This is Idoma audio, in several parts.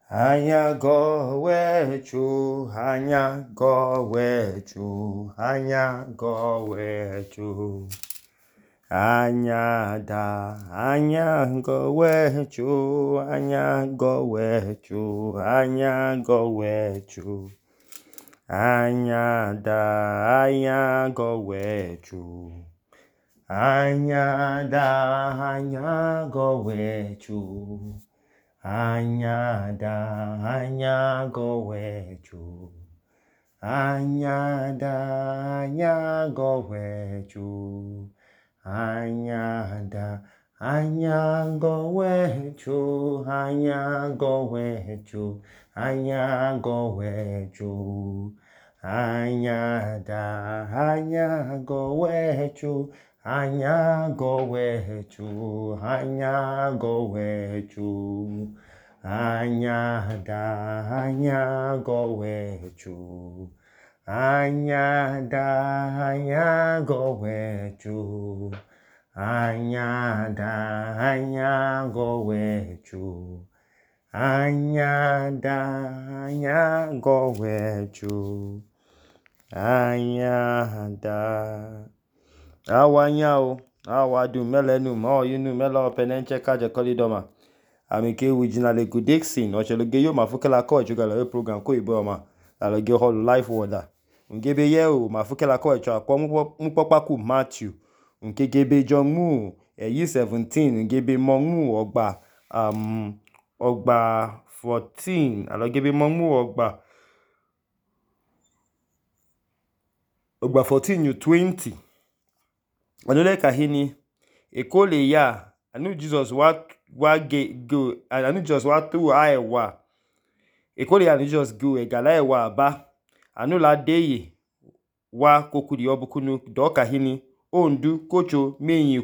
Anya gowechu, anya gowechu, anya gowechu. Anya da, anya gowechu, anya gowechu, anya gowechu. Anya da, anya gowechu. Anya da, anya gowechu. Anya da, anya gowechu. Anya da, anya gowechu. Anya da, anya gowechu. Anya gowechu. Anya gowechu. Anya da, anya gowechu. Anya gowechu. Anya gowechu. Anya da, anya gowechu. Anya da, anya gowechu. Anya da, anya gowechu. Anya da, anya gowechu. Anya da. Awanya o, awadu melenu, yinu melo penenche kaje kolidoma. Amike original Dixon, ocheloge yo mafukela ko echugala yo program ko ibo ma. Aloge hall life order. Ngebe ye o mafukela ko echo akwa mpopaku Matthew. Ngebe John mu yi 17, ngebe mongu ogba ogba 14, alogebe mongu ogba 14 20. Anole kahini ekole ya anu Jesus anu Jesus wa tu aewa ekole ya anu Jesus go egala ewa aba anu la deye wa kokuri obukunu do kahini ondu kocho meyin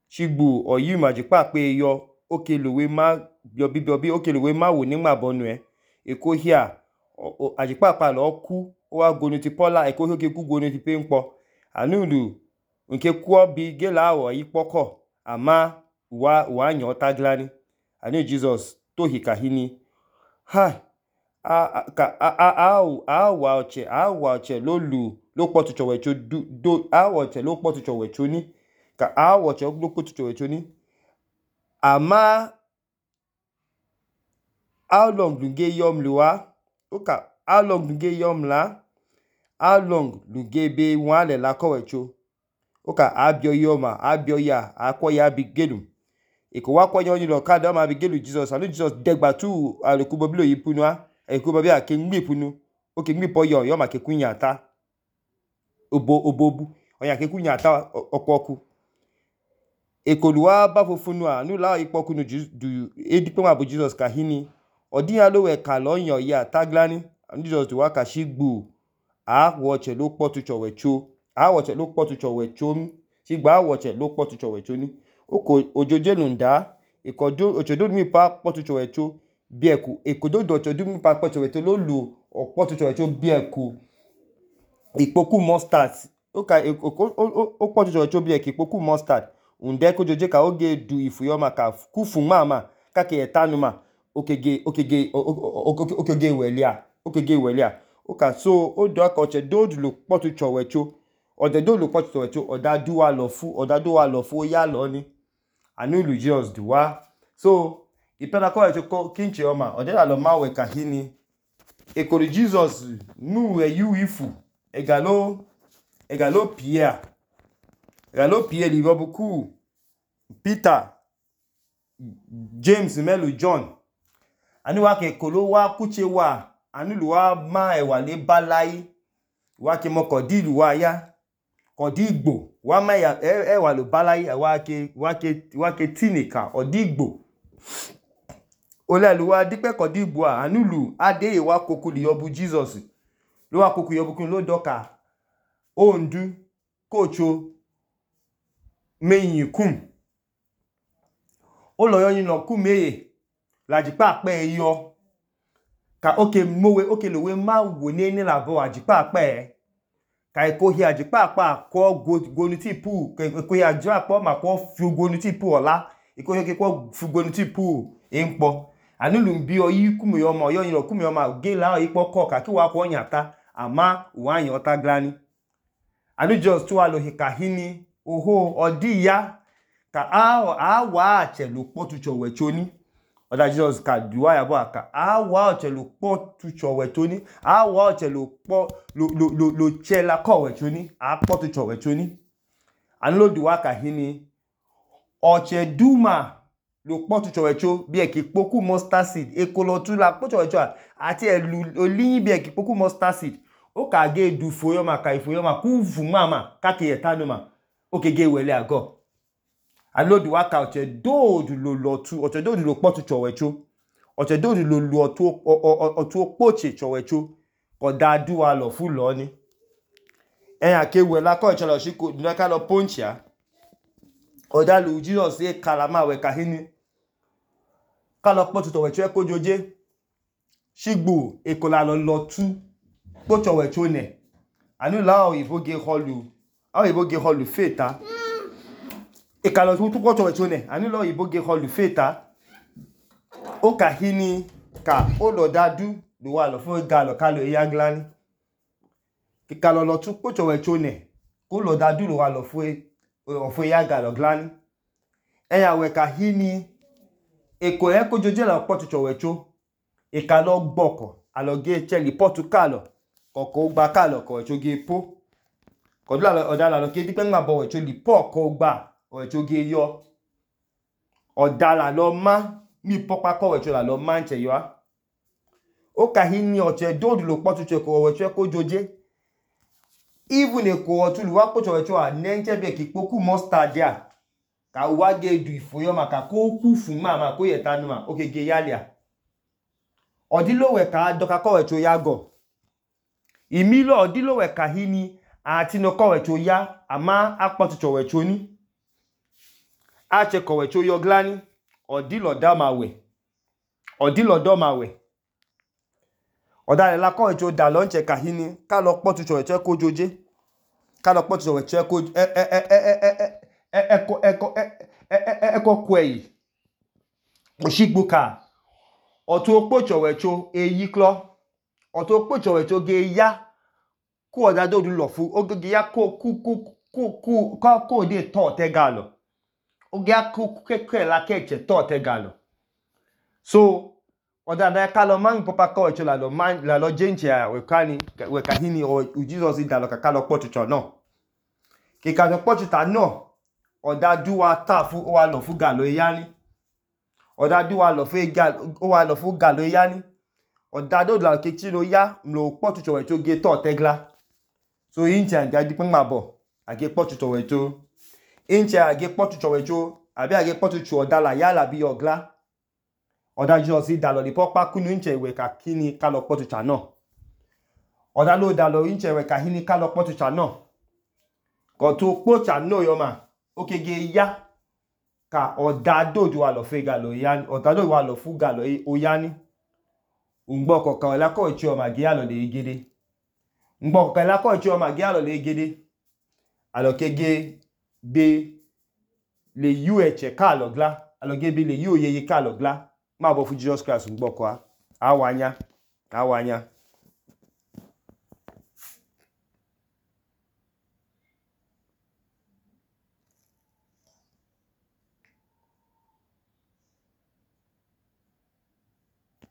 chigbu oyi majipa pe yo okeluwe ma biobi okeluwe ma wo nigba bonu ekohia ajipa pa lo ku o wa gonu ti pola ekohio ke ku gonu ti penpo anulu nke kwuo bi gela awo ikpoko ama wa nyo taglani ani Jesus tohi kahini ha wa oche lo potu chowecho do oche lo potu chowecho ni ka oche lo potu chowecho ni ama how long lunge yom luwa oka how long lunge yom la how long lunge be wale la kowecho oka abio yoma abio ya akwo ya bigelu iko wa kwa yoni lo kada ma bigelu Jesus anu Jesus degba tu alekubo bilo yipunua ekubo bi ake ngbipunu oke ngbipo yo ma ke kunya ata obobu oya ke kunya ata okwoku ekoluwa ba fofunu anu la ipoku nu du edipe ma bu Jesus kahini odiya lo we ka lo yan ya taglani anu Jesus du wa ka shigbu woche lo potu chowecho woche lo potu chowecho shigba woche lo potu chowecho ni oko ojoje lunda ikodo ochodo mi pa potu chowecho bieku ekodo do ochodo mi pa potu chowecho lo lu potu chowecho bieku ipoku mustard oka o potu chowecho bieku ipoku mustard unde ko joje ka oge du ifuyoma ka kufu mama ka ke etanuma okege welia oka so odo aka oche do lu potu chowecho ode do lu potu chowecho odadu wa lo fu ya lo ni anu lu Jesus duwa so ipela ko echo kinche oma ode la lo mawe kahini ekori Jesus nu yu ifu egalo Pierre libobuku Peter James melu John anu wa ke kolo wa kuche wa anu lu wa ma ewa le balai wa ke mo kodilu wa ya kodigbo wa ma ewa lo balai wa ke tinika odigbo olelu wa dipe kodigbo anu lu ade wa kokuli obu Jesus lo wa kokuli obu kun lo doka ondu kocho meyin kun oloyo yin lo kumeye lajipa pe yo ka oke mowe oke lowe ma wo ni labo ajipa pe ka ekohi ajipa pa ko gonu ti pu ekohi ajipa pa ma ko fi gonu ti pu ola ikohi ke ko fi gonu ti pu enpo Anulu bi oyi kumu yoma oyi lo kumu yoma ge la ikpo ko ka ki wa ko nyata ama wa yan ota glani. Anu just tu wa lo hika hini oho odi ya ka a wa achelu kpotucho wechoni. Oda Jesus ka duwa ya bo aka a wa achelu kpotucho wechoni, a wa achelu kpo lo chela ko wechoni, a kpotucho wechoni. Anu lo duwa ka hini oche duma lo kpotucho wecho bi eki poku mustard seed ekolo tu la kpotucho wecho ati elu oliyin bi eki poku mustard seed o ka ge du foyoma ka ifoyoma ku vu mama ka ke yetanuma o ke ge wele ago. Anu lo duwa ka oche dodu lo lotu oche dodu lo kpotucho wecho oche dodu lo lu otu okpoche cho wecho oda duwa lo fu lo ni. Eyan ke wela ko chelo shiko duna ka lo ponchia oda lu Jesus ye kalama we ka hini ka lo kpotucho wecho ko joje shigbu ekola lo lotu kpocho wecho ne. Anu la oyibo ge holu feta ekalo tu kpocho wecho ne anu la oyibo ge holu feta o ka hini ka o lo dadu lo wa lo fu galo kalo ya glani kikalo lo tu kpocho wecho ne ko lo dadu lo wa lo fu ya galo glani. Eya we ka hini eko ko joje la kpotucho wecho ekalo gboko alo ge cheli potu kalo koko gba kalo ko wecho ge po ko odala lo ke dipe ngba bo wecho li po ko gba wecho ge yo odala lo ma mi popa ko wecho la lo ma nche yo a o ka hini oche dodu lo kpotucho ko wecho ko joje even eko otu lu wa kpotucho wecho a nenche bi eki poku mustard ya ka wa ge du ifoyoma ka ko ku fu mama ko yetanuma o ke ge yalia odilo we ka doka ko wecho ya go imilo odilo we ka hini ati no ko wecho ya ama akpotucho wecho ni a che ko wecho yo glani odilo da mawe odilo do mawe odale la ko wecho da lo nche ka hini ka lo kpotucho wecho ko joje ka lo kpotucho wecho ko eko kwei oshigbu ka otu okpocho wecho eyi klo otu okpocho wecho ge ya ku oda dodu lo fu o ge ya ko de to te galo o ge ya ke la keche to te galo so oda da ka lo man popa ko wecho la lo jenche we ka hini o Jesus da lo ka lo kpotucho no ki ka lo kpotucho no oda duwa ta fu o wa lo fu galo yani oda duwa lo fu galo o wa lo fu galo yani oda do la ke ti lo ya lo kpotucho wecho ge to tegla so inche anga dipe ngba bo age kpotucho wecho inche age kpotucho wecho abi age kpotucho odala yala bi ogla oda Jesus da lo di popa kunu inche we ka kini ka lo kpotucho no oda lo da lo inche we ka hini ka lo kpotucho no ko tu kpocha no yoma o ke ge ya ka oda dodu wa lo fu galo yani oda dodu wa lo fu galo oyani ngbo ko ka la ko ichi o ma gi alo le igede ngbo ko la ko ichi o ma gi alo le igede alo ke ge be le yu eche ka lo gla alo ge be le yu oyeye ka lo gla ma bo fu Jesus Christ ngbo ko a wanya